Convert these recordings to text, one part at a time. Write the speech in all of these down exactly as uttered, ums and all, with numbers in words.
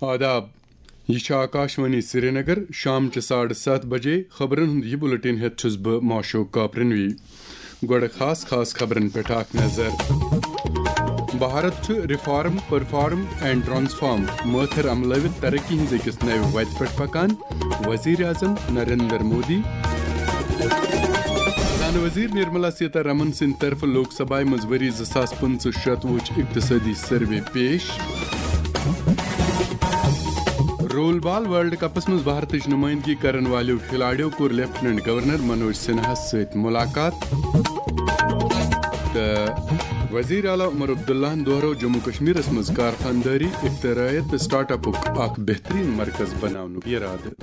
آداب۔ یہِ چھِ آکاشوانی سرینگر۔ شام چہِ ساڑٕ ستھ بجے خبرن ہُنٛد یہِ بُلٹن ہٮ۪تھ چھُس بہٕ ماشوق کاپرنوی۔ گۄڈٕ خاص خاص خبرن پٮ۪ٹھ اکھ نظر۔ بھارت چھُ ریفارم، پرفارم اینڈ ٹرانسفارم مٲتھر عملٲوِتھ ترقی ہٕنٛز أکِس نوِ وتہِ پٮ۪ٹھ پکان، وزیر اعظم نریندر مودی۔ خزانہٕ وزیر نرملا سیتا رمن سٕنٛدِ طرفہٕ لوک سبھایہ منٛز ؤری زٕ ساس پٕنٛژٕہ شتوُہٕچ اقتصٲدی سروے پیش۔ رول بال ورلڈ کپس منٛز بھارتٕچ نمائندگی کرن والیو کھلاڑیو کوٚر لیفٹیننٹ گورنر منوج سنہاہس سۭتۍ ملاقات۔ تہٕ وزیر اعلیٰ عمر عبداللہن دۄہرٲو جموں کشمیرس منٛز کارخاندٲری، اختراعیت تہٕ سٹارٹ اپُک اکھ بہترین مرکز بناونُک ارادٕ۔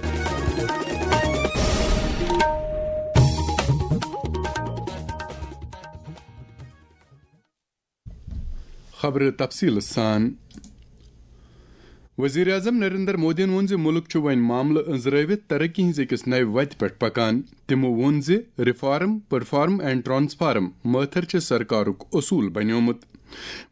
خبرٕ تفصیٖل سان۔ وزیر اعظم نریندر مودیَن ووٚن زِ مُلک چھُ وۄنۍ معاملہٕ أنٛزرٲوِتھ ترقی ہٕنٛز أکِس نَوِ وَتہِ پٮ۪ٹھ پکان۔ تِمَو ووٚن زِ ریفارم، پرفارم اینڈ ٹرانسفارم مٲتھر چھِ سرکارُک اصوٗل بنیومُت۔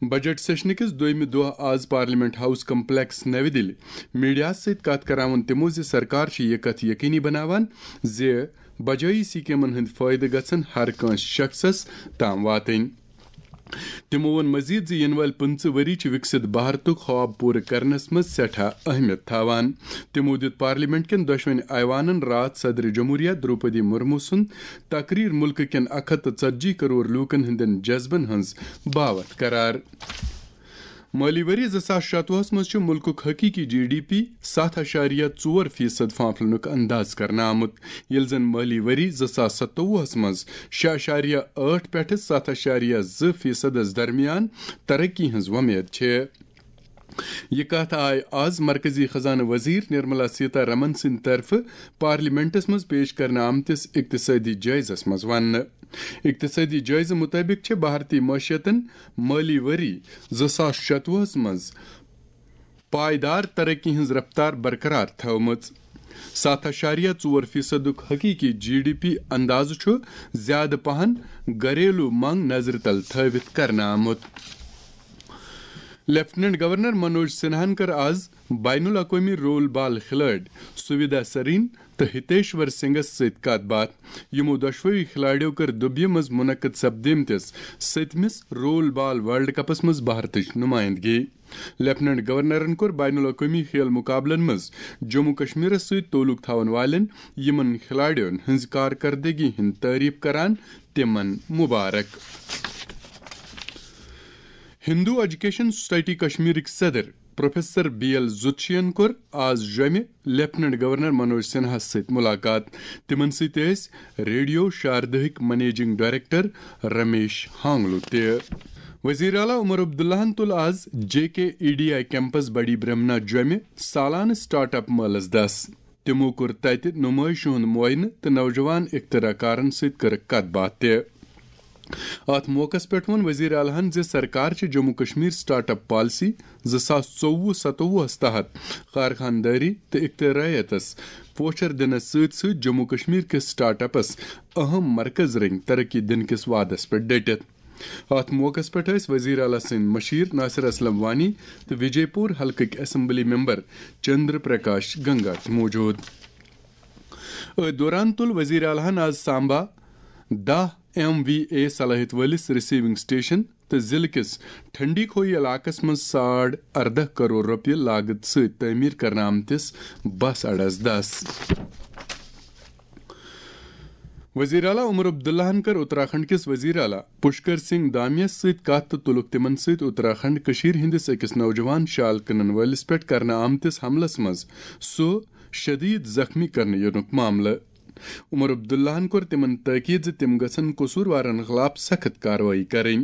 بجٹ سیشنہٕ کِس دوٚیمہِ دۄہ آز پارلیمنٹ ہاؤس کمپلیکس نَوِ دِلہِ میڈیاہَس سۭتۍ کتھ کران ووٚن تِمَو زِ سرکار چھِ یہِ کتھ یقینی بناوان زِ بجٲیی سکیمن ہٕنٛدۍ فٲیدٕ گژھن ہر کٲنٛسہِ شخصس تام واتٕنۍ۔ تِمو ووٚن مزید زِ یِنہٕ وٲلۍ پٕنٛژٕہ ؤری چھِ وِکسِت بھارتُک خواب پوٗرٕ کرنس منٛز سٮ۪ٹھاہ اہمیت تھاوان۔ تِمو دِیُت پارلیمنٹ کٮ۪ن دۄشوٕنی ایوانن راتھ صدر جمہوریہ دروپدی مرمو سُنٛد تقریر مُلکہٕ کٮ۪ن اکھ ہتھ تہٕ ژتجی کرور لوٗکن ہٕنٛدٮ۪ن جذبن ہٕنٛز باوتھ قرار۔ مٲلی ؤری زٕ ساس شتوُہس منٛز چھُ مُلکُک حقیٖقی جی ڈی پی ستھ اَشاریہ ژور فیصد پھانپھلنُک انداز کرنہٕ آمُت، ییٚلہِ زن مٲلی ؤری زٕ ساس ستوُہس منٛز شےٚ اَشاریہ ٲٹھ پٮ۪ٹھٕ ستھ اَشاریہ زٕ فیصدس درمیان ترقی ہٕنٛز وۄمید چھِ۔ یہِ کتھ آیہِ آز مرکزی خزانہٕ وزیر نرملا سیتا رمن سٕنٛدِ طرفہٕ پارلیمنٹس منٛز پیش کرنہٕ آمتِس اقتصٲدی جٲیزس منٛز وننہٕ۔ اقتصٲدی جٲیزٕ مُطٲبِق چھِ بھارتی معیشتن مٲلی ؤری زٕ ساس شتوُہس منٛز پائیدار ترقی ہٕنٛز رفتار برقرار تھٲومٕژ۔ ستھ اَشاریہ ژور فیصدُک حقیقی جی ڈی پی اندازٕ چھُ زیادٕ پہن گھریلو منگ نظرِ تل تھٲوِتھ کرنہٕ آمُت۔ لیفٹیننٹ گورنر منوج سنہاہن کٔر آز بین الاقوٲمی رول بال کھلٲڑۍ سویدا سرین تہٕ ہتیشور سنگھس سۭتۍ کتھ باتھ۔ یِمو دۄشوٕے کھلاڑیو کٔر دُبیہِ منٛز منعقد سپدیمتِس سٔتمِس رول بال ورلڈ کپس منٛز بھارتٕچ نمائندگی۔ لیفٹیننٹ گورنرن کوٚر بین الاقوٲمی کھیل مقابلن منٛز جموں کشمیرس سۭتۍ تعلق تھاون والٮ۪ن یِمن کھلاڑیون ہٕنٛز کارکردگی ہٕنٛز تعریف کران تِمن مبارک۔ ہندو ایجوکیشن سوسائٹی کشمیرٕکۍ صدر پروفیسر بی ایل زُتشین کوٚر آز جوٚمہِ لیفٹیننٹ گورنر منوج سنہاہس سۭتۍ ملاقات۔ تِمن سۭتۍ ٲسۍ ریڈیو شاردہٕکۍ منیجنگ ڈائریکٹر رمیش ہانگلو تہِ۔ وزیر اعلیٰ عمر عبداللہن تُل آز J K E D I campus Bari Brahmana جوٚمہِ سالانہٕ سٹارٹ اپ مٲلس دس۔ تِمو کوٚر تتہِ نمٲیشہِ ہُنٛد معائنہٕ تہٕ نوجوان اختراع کارن سۭتۍ کٔرٕکھ کتھ باتھ تہِ۔ اتھ موقعس پٮ۪ٹھ ووٚن وزیر اعلیٰ ہن زِ سرکار چھِ Jammu Kashmir start up policy زٕ ساس ژوٚوُہ ستووُہس تحت کارخاندٲری تہٕ اختراعیتس پوچھر دِنس سۭتۍ سۭتۍ جموں کشمیر کِس سٹارٹ اپس اہم مرکز رٔنگۍ ترقی دِنہٕ کِس وعدس پٮ۪ٹھ ڈٔٹِتھ۔ اتھ موقعس پٮ۪ٹھ ٲسۍ وزیر اعلیٰ سٕنٛدۍ مشیر ناصر اسلم وانی تہٕ وجے پور حلقٕکۍ اسمبلی ممبر چندر پرکاش گنگا تہِ موجود۔ أتھۍ دوران تُل وزیر اعلیٰ ہن آز سامبا دَہ ایم وی اے صلٲحیت وٲلِس ریسیونگ سٹیشن تہٕ ضلعہٕ کِس ٹھنڈی کھوئی علاقس منٛز ساڑ ارداہ کرور رۄپیہِ لاگت سۭتۍ تعمیٖر کرنہٕ آمتِس بس اڈس دس۔ وزیر اعلیٰ عمر عبداللہن کٔر اتراکھنڈ کِس وزیر اعلیٰ پشکر سنگھ دامیَس سۭتۍ کتھ تہٕ تُلُکھ تِمن سۭتۍ اتراکھنڈ کٔشیٖرِ ہٕنٛدِس أکِس نوجوان شال کٕنن وٲلِس پٮ۪ٹھ کرنہٕ آمتِس حملس منٛز سُہ شدید زخمی کرنہٕ یِنُک معاملہٕ۔ عمر عبداللہن کوٚر تِمن تٲکید زِ تِم گژھن قصوٗروارن خلاف سخت کاروٲیی کرٕنۍ۔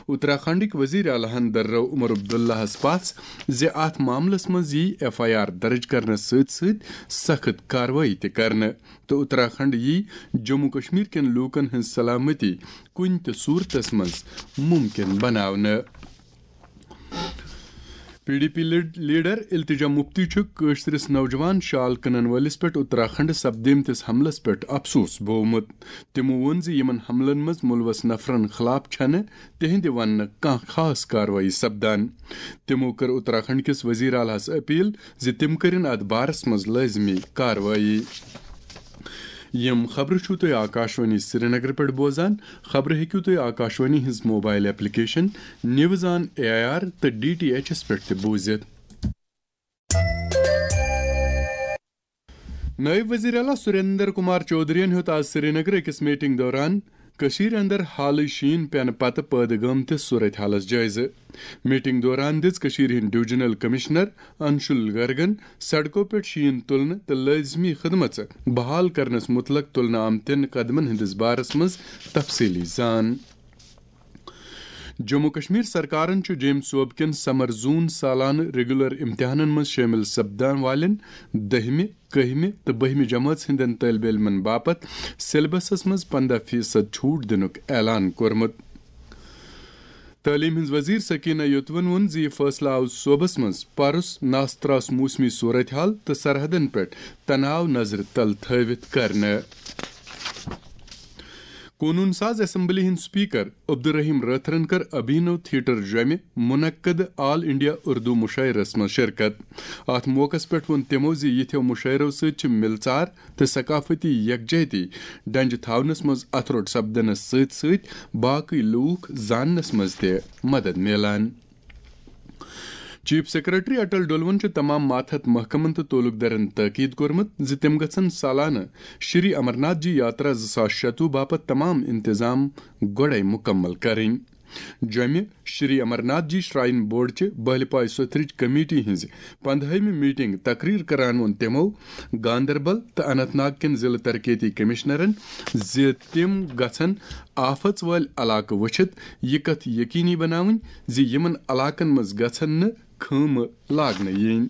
اتراکھنڈٕکۍ وزیر اعلیٰ ہن دررٲو عمر عبداللہس پژھ زِ اتھ معاملس منٛز ییہِ ایف آئی آر درج کرنس سۭتۍ سۭتۍ سخت کاروٲیی تہِ کرنہٕ تہٕ اتراکھنڈ ییہِ جموں کشمیر کٮ۪ن لوٗکن ہٕنٛز سلامتی کُنہِ تہِ صورتس منٛز ممکن بناونہٕ۔ P D P lead-, leader التجا مفتی چھُ کٲشرِس نوجوان شال کٕنن وٲلِس پٮ۪ٹھ اتراکھنڈ سپدیمتِس حملس پٮ۪ٹھ افسوس بوومُت۔ تِمو ووٚن زِ یِمن حملن منٛز مُلوث نفرن خلاف چھنہٕ تِہنٛدِ وننہٕ کانٛہہ خاص کاروٲیی سپدان۔ تِمو کٔر اتراکھنڈ کِس وزیر اعلیٰ ہس اپیل زِ تِم کٔرِن اتھ بارس منٛز لٲزمی کاروٲیی۔ یِم خبرٕ چھِو تُہۍ آکاشوانی سرینگر پٮ۪ٹھ بوزان۔ خبرٕ ہیٚکِو تُہۍ آکاشوانی ہٕنٛز mobile application news on A I R تہٕ ڈی ٹی ایچس پٮ۪ٹھ تہِ بوٗزِتھ۔ نٲیِب وزیر اعلیٰ سریندر کمار چودھرین ہیوٚت آز سرینگر أکِس میٹنگ دوران کٔشیٖرِ اندر حالٕے شیٖن پینہٕ پتہٕ پٲدٕ گٲمتِس صورتحالس جٲیزٕ۔ میٹنگ دوران دِژ کٔشیٖرِ ہٕنٛدۍ ڈویژنل کمشنر انشول گرگن سڑکو پٮ۪ٹھ شیٖن تُلنہٕ تہٕ لٲزمی خدمژٕ بحال کرنس متعلق تُلنہٕ آمتٮ۪ن قدمن ہٕنٛدِس بارس منٛز تفصیٖلی زان۔ جموں کشمیر سرکارن چھُ جیمۍ صوبہٕ کٮ۪ن سمر زون سالانہٕ ریگولر امتحانن منٛز شٲمِل سپدان والٮ۪ن دٔہمہِ، کٔہمہِ تہٕ بٔہمہِ جمٲژ ہٕنٛدٮ۪ن طٲلبہِ علمن باپتھ سیلبسس منٛز پنٛداہ فیصد چھوٹ دِنُک اعلان کوٚرمُت۔ تعلیٖم ہٕنٛز وزیر سکینہ یوتون ووٚن زِ یہِ فٲصلہٕ آو صوبس منٛز پرُس ناستراس موسمی صورتحال تہٕ سرحدن پٮ۪ٹھ تناو نظرِ تل تھٲوِتھ کرنہٕ۔ قونوٗن ساز اسمبلی ہٕنٛدۍ سپیکر عبدالرحیم رٲتھرن کٔر ابھینو تھیٹر جۄمہِ منعقد آل انڈیا اردو مشاعرس منٛز شرکت۔ اتھ موقعس پٮ۪ٹھ ووٚن تِمو زِ یِتھیو مشاعرو سۭتۍ چھِ مِلژار تہٕ ثقافتی یکجہتی ڈنجہِ تھاونس منٛز اتھٕ روٚٹ سپدنس سۭتۍ سۭتۍ باقٕے لوٗکھ زاننس منٛز تہِ مدد میلان۔ چیف سیکرٹری اٹل ڈولون چھُ تمام ماتحت محکمن تہٕ تعلقدارن تاکید کوٚرمُت زِ تِم گژھن سالانہٕ شری امرناتھ جی یاترا زٕ ساس شتوُہ باپتھ تمام انتظام گۄڈے مکمل کرٕنۍ۔ جۄمہِ شری امرناتھ جی شراین بورڈ چہِ بہلہِ پاے سوٚتھرٕچ کمیٹی ہٕنٛزِ پندہٲیمہِ میٹنگ تقریر کران ووٚن تِمو گاندربل تہٕ اننت ناگ کٮ۪ن ضلعہٕ ترقیتی کمشنرن زِ تِم گژھن آفژ وٲلۍ علاقہٕ وٕچھِتھ یہِ کتھ یقینی بناوٕنۍ زِ یِمن علاقن منٛز گژھن نہٕ خٲمہٕ لاگنہٕ یِنۍ۔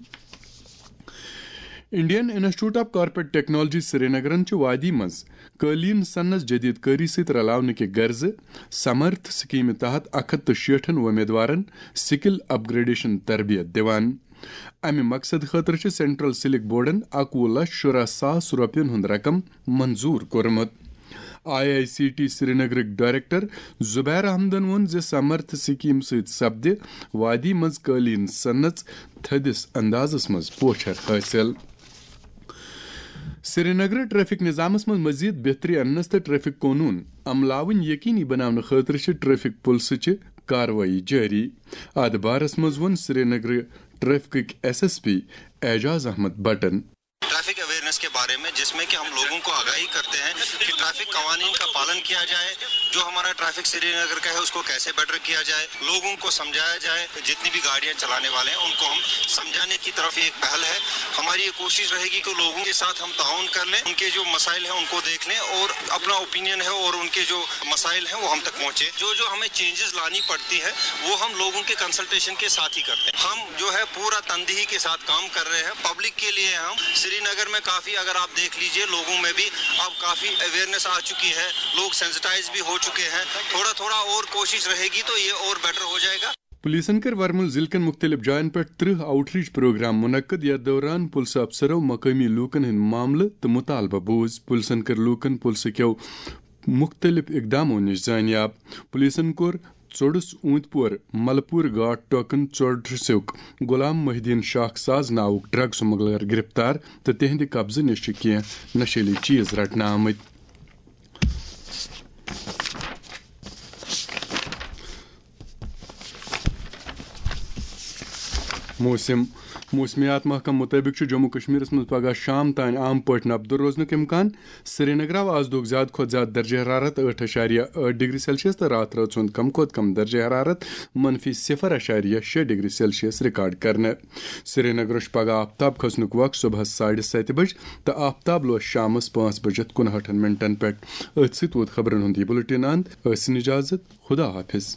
Indian institute of corporate technology سرینگرن چھُ وادی منٛز قٲلیٖن سنس جدید کٲری سۭتۍ رلاونہٕ کہِ غرضہٕ سمرتھ سکیمہِ تحت اکھ ہتھ تہٕ شیٹھن وۄمیدوارن سکل اپ گریڈیشن تربیت دِوان۔ امہِ مقصد خٲطرٕ چھِ سینٹرل سلک بورڈن اکوُہ لچھ شُراہ ساس رۄپین ہُنٛد رقم منظور کوٚرمُت۔ آئی آئی سی ٹی سرینگرٕکۍ ڈائریکٹر زبیر احمدن ووٚن زِ سمرتھ سکیم سۭتۍ سپدِ وادی منٛز قٲلیٖن صنعت تھٔدِس اندازس منٛز پوچھر حٲصِل۔ سرینگرٕ ٹریفک نظامس منٛز مزید بہتری اننس تہٕ ٹریفک قونوٗن عملاوٕنۍ یقینی بناونہٕ خٲطرٕ چھِ ٹریفک پُلسہٕ چہِ کاروٲیی جٲری۔ اتھ بارس منٛز ووٚن سرینگرٕ ٹریفکٕکۍ S S P Ejaz Ahmad بٹن۔ ٹریفک اویئرنیس کے بارے میں، جس میں کہ ہم لوگوں کو آگاہی کرتے ہیں کہ ٹریفک قوانین کا پالن کیا جائے۔ جو ہمارا ٹریفک سری نگر کا ہے، اس کو کیسے بیٹر کیا جائے، لوگوں کو سمجھایا جائے۔ جتنی بھی گاڑیاں چلانے والے ہیں، ان کو ہم سمجھانے کی طرف یہ ایک پہل ہے۔ ہماری یہ کوشش رہے گی کہ لوگوں کے ساتھ ہم تعاون کر لیں، ان کے جو مسائل ہیں ان کو دیکھ لیں اور اپنا اوپینین ہے اور ان کے جو مسائل ہیں وہ ہم تک پہنچے۔ جو جو ہمیں چینجز لانی پڑتی ہے، وہ ہم لوگوں کے کنسلٹیشن کے ساتھ ہی کرتے ہیں۔ ہم جو ہے پورا تندہی کے ساتھ کام کر رہے ہیں پبلک کے لیے۔ ہم سری نگر میں کافی، اگر آپ دیکھ لیجئے، لوگوں میں بھی اب کافی اویئرنیس آ چکی ہے، لوگ سینسٹائز بھی ہو چکے ہیں۔ تھوڑا تھوڑا اور کوشش رہے گی تو یہ اور بیٹر ہو جائے گا۔ پولیسن کٔر ورمُل ضلعہٕ کٮ۪ن مُختٔلِف جاین پٮ۪ٹھ ترٕہ آؤٹ ریچ پروگرام منعقد، یتھ دوران پُلسہٕ افسرو مقٲمی لوٗکن ہٕنٛدۍ معاملہٕ تہٕ مُطالبہٕ بوٗز۔ پُلسن کٔر لوٗکن پُلسہٕ کٮ۪و مُختٔلِف اقدامو نِش زٲنیاب۔ پُلسن کوٚر ژوٚڈُس اوٗنتۍ پور ملپور گاٹ ٹوکن ژوٚڈرٕ سیوٚک غلام محی الدین شاخ ساز ناوُک ڈرگ سمگلر گرفتار تہٕ تِہنٛدِ قبضہٕ نِش چھِ کینٛہہ نشیلی چیز رٹنہٕ آمٕتۍ۔ موسم۔ موسمیات محکمہٕ مُطٲبِق چھُ جموں کشمیرس منٛز پگہہ شام تام عام پٲٹھۍ نبدٕ روزنُک امکان۔ سرینگر آو آز دۄہُک زیادٕ کھۄتہٕ زیادٕ درجہ حرارت ٲٹھ اعشاریہ ٲٹھ ڈگری سیلسیس تہٕ راتھ رٲژ ہُنٛد کم کھۄتہٕ کم درجہ حرارت منفی صفر اعشاریہ شےٚ ڈگری سیلسیس ریکارڈ کرنہٕ۔ سرینگرس چھُ پگہہ آفتاب کھسنُک وق صبحس ساڑِ ستہِ بجہِ تہٕ آفتاب لوس شامس پانٛژھ بجہِ تہٕ کُنہٲٹھن منٹن پٮ۪ٹھ۔ أتھۍ سۭتۍ ووت خبرن ہُنٛد یہِ بُلٹن اند۔ ٲسِن اجازت۔ خدا حافظ۔